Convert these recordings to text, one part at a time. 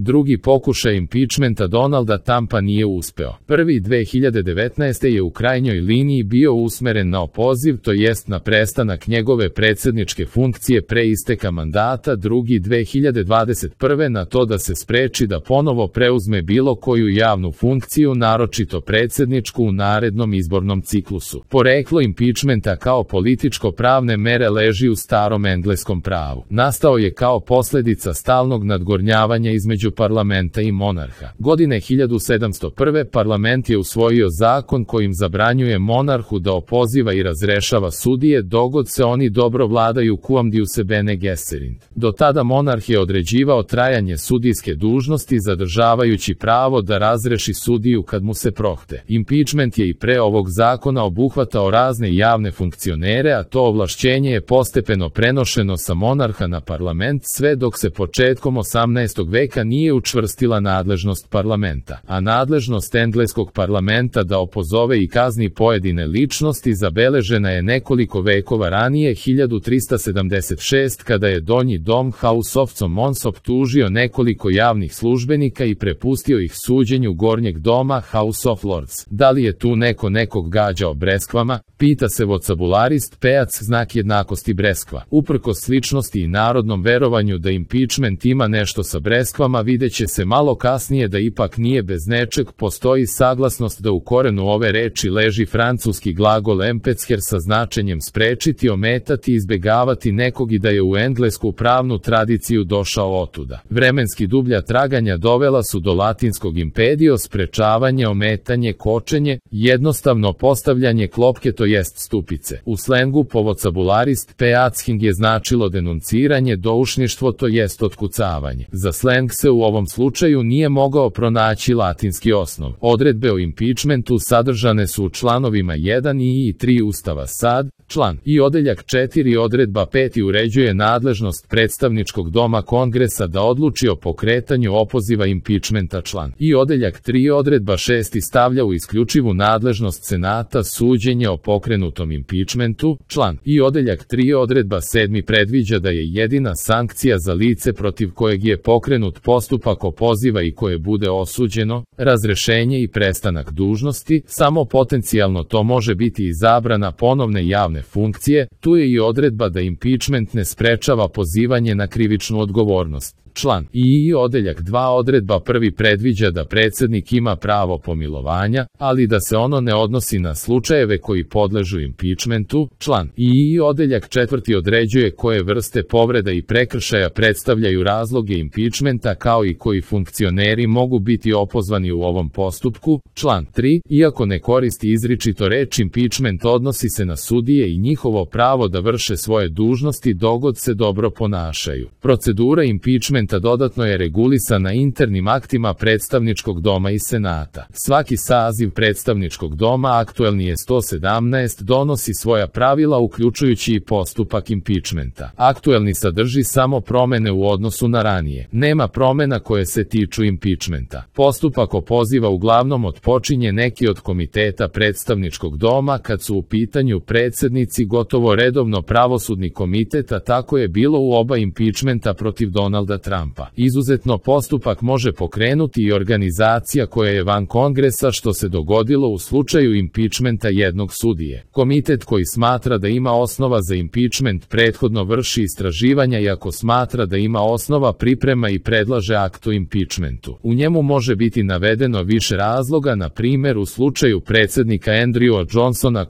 Drugi pokušaj impičmenta Donalda Trumpa nije uspeo. Prvi 2019. je u krajnjoj liniji bio usmeren na opoziv, to jest na prestanak njegove predsjedničke funkcije pre isteka mandata, drugi 2021. na to da se spreči da ponovo preuzme bilo koju javnu funkciju, naročito predsjedničku, u narednom izbornom ciklusu. Poreklo impičmenta kao političko-pravne mere leži u starom engleskom pravu. Nastao je kao posljedica stalnog nadgornjavanja između parlamenta i monarha. Godine 1701. parlament je usvojio zakon kojim zabranjuje monarhu da opoziva i razrešava sudije dogod se oni dobro vladaju quam diuse bene gesserint. Do tada monarh je određivao trajanje sudijske dužnosti zadržavajući pravo da razreši sudiju kad mu se prohte. Impeachment je i pre ovog zakona obuhvatao razne javne funkcionere, a to ovlašćenje je postepeno prenošeno sa monarha na parlament sve dok se početkom 18. veka nije učvrstila nadležnost parlamenta, a nadležnost engleskog parlamenta da opozove i kazni pojedine ličnosti zabeležena je nekoliko vekova ranije, 1376, kada je donji dom House of Commons optužio nekoliko javnih službenika i prepustio ih suđenju gornjeg doma House of Lords. Da li je tu neko nekog gađao breskvama? Pita se vocabularist Pejac, znak jednakosti breskva. Uprkos sličnosti i narodnom verovanju da impeachment ima nešto sa breskvama, videće se malo kasnije da ipak nije bez nečeg. Postoji saglasnost da u korenu ove reči leži francuski glagol empetcher sa značenjem sprečiti, ometati, izbegavati nekog i da je u englesku pravnu tradiciju došao otuda. Vremenski dublja traganja dovela su do latinskog impedio, sprečavanje, ometanje, kočenje, jednostavno postavljanje klopke, to jest stupice. U slengu po vocabularist Peacking je značilo denunciranje, doušništvo, to jest otkucavanje. Za sleng se u ovom slučaju nije mogao pronaći latinski osnov. Odredbe o impeachmentu sadržane su u članovima 1 i 3 Ustava SAD, član i odeljak 4 odredba 5 uređuje nadležnost predstavničkog doma Kongresa da odluči o pokretanju opoziva impeachmenta, član i odeljak 3 odredba 6 stavlja u isključivu nadležnost Senata suđenje o pokrenutom impeachmentu, član i odeljak 3 odredba 7 predviđa da je jedina sankcija za lice protiv kojeg je pokrenut postupak opoziva i koje bude osuđeno, razrešenje i prestanak dužnosti. Samo potencijalno to može biti i zabrana ponovne javne funkcije. Tu je i odredba da impeachment ne sprečava pozivanje na krivičnu odgovornost. Član i odeljak 2 odredba 1 predviđa da predsjednik ima pravo pomilovanja, ali da se ono ne odnosi na slučajeve koji podležu impeachmentu. Član i odeljak 4 određuje koje vrste povreda i prekršaja predstavljaju razloge impeachmenta kao i koji funkcioneri mogu biti opozvani u ovom postupku. Član 3, iako ne koristi izričito reč impeachment, odnosi se na sudije i njihovo pravo da vrše svoje dužnosti dogod se dobro ponašaju. Procedura impeachmenta dodatno je regulisana internim aktima predstavničkog doma i senata. Svaki saziv predstavničkog doma, aktuelni je 117, donosi svoja pravila uključujući i postupak impeachmenta. Aktuelni sadrži samo promene u odnosu na ranije. Nema promena koje se tiču impeachmenta. Postupak opoziva uglavnom otpočinje neki od komiteta predstavničkog doma kad su u pitanju predsjednici, gotovo redovno pravosudni komitet, a tako je bilo u oba impeachmenta protiv Donalda Trumpa. Izuzetno postupak može pokrenuti i organizacija koja je van Kongresa, što se dogodilo u slučaju impeachmenta jednog sudije. Komitet koji smatra da ima osnova za impeachment prethodno vrši istraživanja i ako smatra da ima osnova priprema i predlaže akt o impeachmentu. U njemu može biti navedeno više razloga, na primjer u slučaju predsjednika Andrewa Johnsona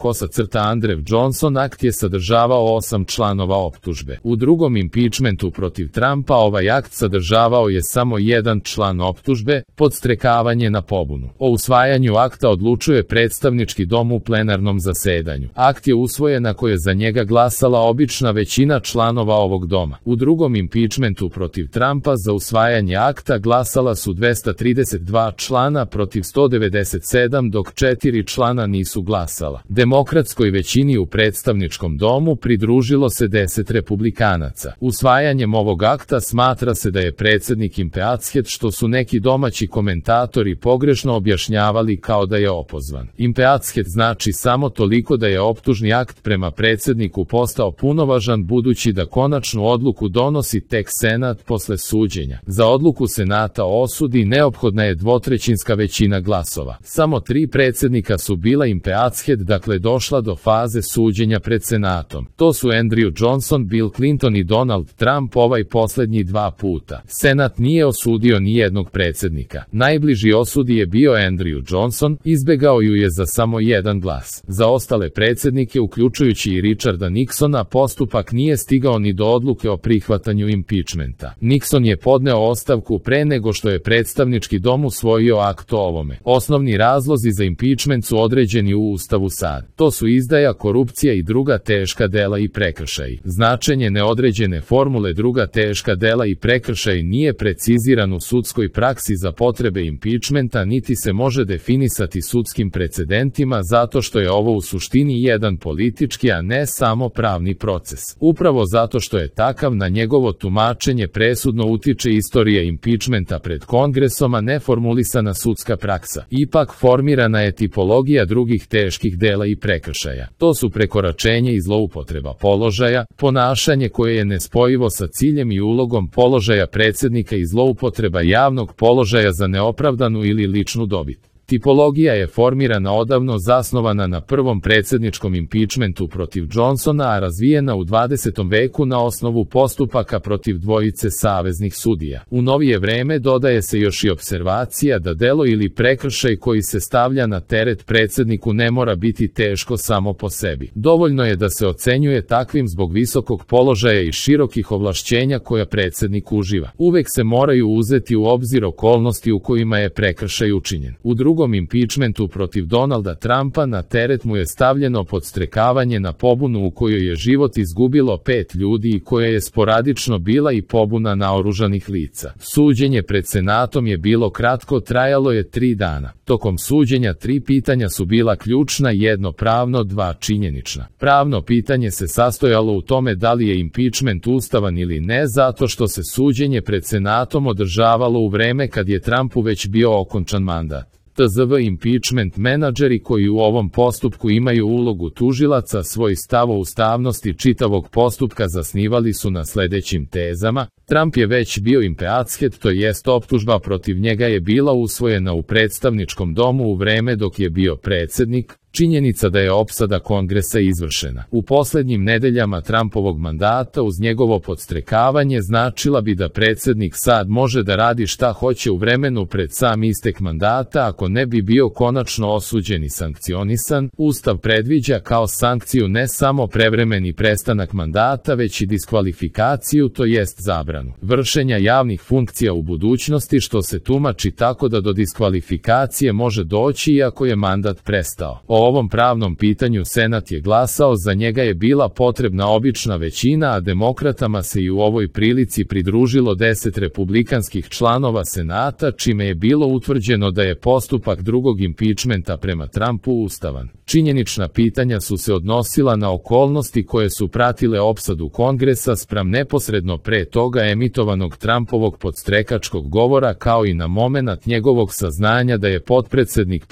Andrew Johnson akt je sadržavao 8 članova optužbe. U drugom impeachmentu protiv Trumpa ovaj akt sadržavao je samo jedan član optužbe, podstrekavanje na pobunu. O usvajanju akta odlučuje predstavnički dom u plenarnom zasedanju. Akt je usvojen ako je za njega glasala obična većina članova ovog doma. U drugom impeachmentu protiv Trumpa za usvajanje akta glasala su 232 člana protiv 197, dok 4 člana nisu glasala. Demokratskoj većini u predstavničkom domu pridružilo se 10 republikanaca. Usvajanjem ovog akta smatra se se da je predsjednik impeachet, što su neki domaći komentatori pogrešno objašnjavali kao da je opozvan. Impeachet znači samo toliko da je optužni akt prema predsjedniku postao punovažan, budući da konačnu odluku donosi tek Senat posle suđenja. Za odluku Senata o osudi neophodna je dvotrećinska većina glasova. Samo 3 predsjednika su bila impeachet, dakle došla do faze suđenja pred Senatom. To su Andrew Johnson, Bill Clinton i Donald Trump, ovaj posljednji 2 puta. Senat nije osudio ni jednog predsjednika. Najbliži osudi je bio Andrew Johnson, izbegao ju je za samo 1 glas. Za ostale predsjednike, uključujući i Richarda Nixona, postupak nije stigao ni do odluke o prihvatanju impeachmenta. Nixon je podneo ostavku pre nego što je predstavnički dom usvojio akt o ovome. Osnovni razlozi za impeachment su određeni u Ustavu SAD. To su izdaja, korupcija i druga teška dela i prekršaji. Značenje neodređene formule druga teška dela i prekršaj nije preciziran u sudskoj praksi za potrebe impeachmenta, niti se može definisati sudskim precedentima, zato što je ovo u suštini jedan politički, a ne samo pravni proces. Upravo zato što je takav, na njegovo tumačenje presudno utiče istorija impeachmenta pred Kongresom, a ne formulisana sudska praksa. Ipak formirana je tipologija drugih teških dela i prekršaja. To su prekoračenje i zloupotreba položaja, ponašanje koje je nespojivo sa ciljem i ulogom položaja predsjednika i zloupotreba javnog položaja za neopravdanu ili ličnu dobit. Tipologija je formirana odavno, zasnovana na prvom predsjedničkom impeachmentu protiv Johnsona, a razvijena u 20. veku na osnovu postupaka protiv dvojice saveznih sudija. U novije vreme dodaje se još i observacija da delo ili prekršaj koji se stavlja na teret predsjedniku ne mora biti teško samo po sebi. Dovoljno je da se ocenjuje takvim zbog visokog položaja i širokih ovlašćenja koja predsjednik uživa. Uvek se moraju uzeti u obzir okolnosti u kojima je prekršaj učinjen. U drugom impeachmentu protiv Donalda Trumpa na teret mu je stavljeno podstrekavanje na pobunu u kojoj je život izgubilo 5 ljudi i koja je sporadično bila i pobuna naoružanih lica. Suđenje pred Senatom je bilo kratko, trajalo je 3 dana. Tokom suđenja 3 pitanja su bila ključna, 1 pravno, 2 činjenična. Pravno pitanje se sastojalo u tome da li je impeachment ustavan ili ne, zato što se suđenje pred Senatom održavalo u vreme kad je Trumpu već bio okončan mandat. tzv. Impeachment menadžeri koji u ovom postupku imaju ulogu tužilaca svoj stav o ustavnosti čitavog postupka zasnivali su na sledećim tezama. Trump je već bio impeachet, to jest optužba protiv njega je bila usvojena u predstavničkom domu u vreme dok je bio predsjednik. Činjenica da je opsada Kongresa izvršena u posljednjim nedeljama Trumpovog mandata uz njegovo podstrekavanje značila bi da predsjednik sad može da radi šta hoće u vremenu pred sam istek mandata ako ne bi bio konačno osuđen i sankcionisan. Ustav predviđa kao sankciju ne samo prevremeni prestanak mandata, već i diskvalifikaciju, to jest zabranu vršenja javnih funkcija u budućnosti, što se tumači tako da do diskvalifikacije može doći iako je mandat prestao. O ovom pravnom pitanju Senat je glasao, za njega je bila potrebna obična većina, a demokratama se i u ovoj prilici pridružilo 10 republikanskih članova Senata, čime je bilo utvrđeno da je postupak drugog impeachmenta prema Trumpu ustavan. Činjenična pitanja su se odnosila na okolnosti koje su pratile opsadu Kongresa spram neposredno pre toga emitovanog Trumpovog podstrekačkog govora, kao i na momenat njegovog saznanja da je potpredsednik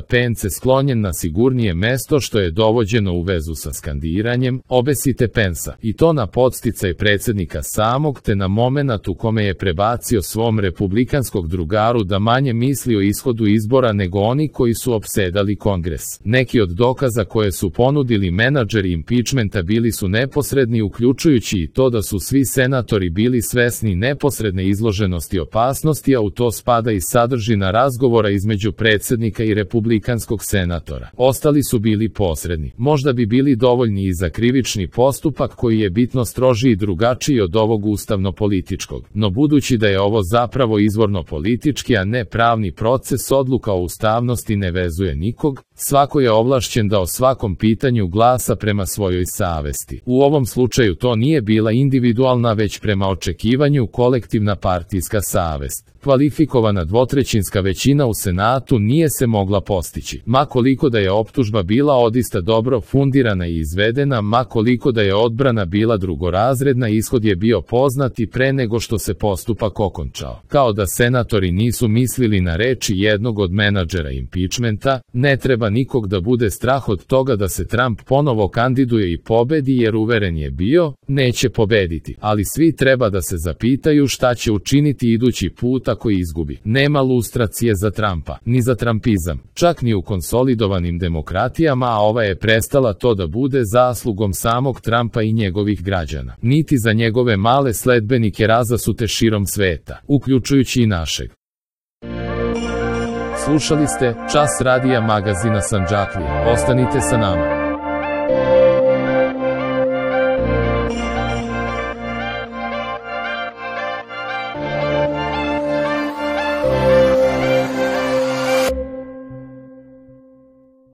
Pence sklonjen na sigurnije mesto, što je dovođeno u vezu sa skandiranjem "Obesite Pensa", i to na podsticaj predsjednika samog, te na momenat u kome je prebacio svom republikanskog drugaru da manje misli o ishodu izbora nego oni koji su opsedali Kongres. Neki od dokaza koje su ponudili menadžeri impeachmenta bili su neposredni, uključujući i to da su svi senatori bili svesni neposredne izloženosti opasnosti, a u to spada i sadržina razgovora između predsjednika i republikanskog senatora. Ostali su bili posredni. Možda bi bili dovoljni i za krivični postupak koji je bitno strožiji i drugačiji od ovog ustavno-političkog. No budući da je ovo zapravo izvorno politički, a ne pravni proces, odluka o ustavnosti ne vezuje nikog. Svako je ovlašćen da o svakom pitanju glasa prema svojoj savesti. U ovom slučaju to nije bila individualna, već prema očekivanju kolektivna partijska savest. Kvalifikovana dvotrećinska većina u Senatu nije se mogla postići. Ma koliko da je optužba bila odista dobro fundirana i izvedena, ma koliko da je odbrana bila drugorazredna, ishod je bio poznat i pre nego što se postupak okončao. Kao da senatori nisu mislili na reči jednog od menadžera impičmenta, ne treba nikog da bude strah od toga da se Trump ponovo kandiduje i pobedi, jer uveren je bio, neće pobediti. Ali svi treba da se zapitaju šta će učiniti idući put ako izgubi. Nema lustracije za Trumpa, ni za trumpizam, čak ni u konsolidovanim demokratijama, a ova je prestala to da bude zaslugom samog Trumpa i njegovih građana. Niti za njegove male sledbenike razasute širom sveta, uključujući i našeg. Slušali ste Čas radija magazina Sandžaklija. Ostanite sa nama.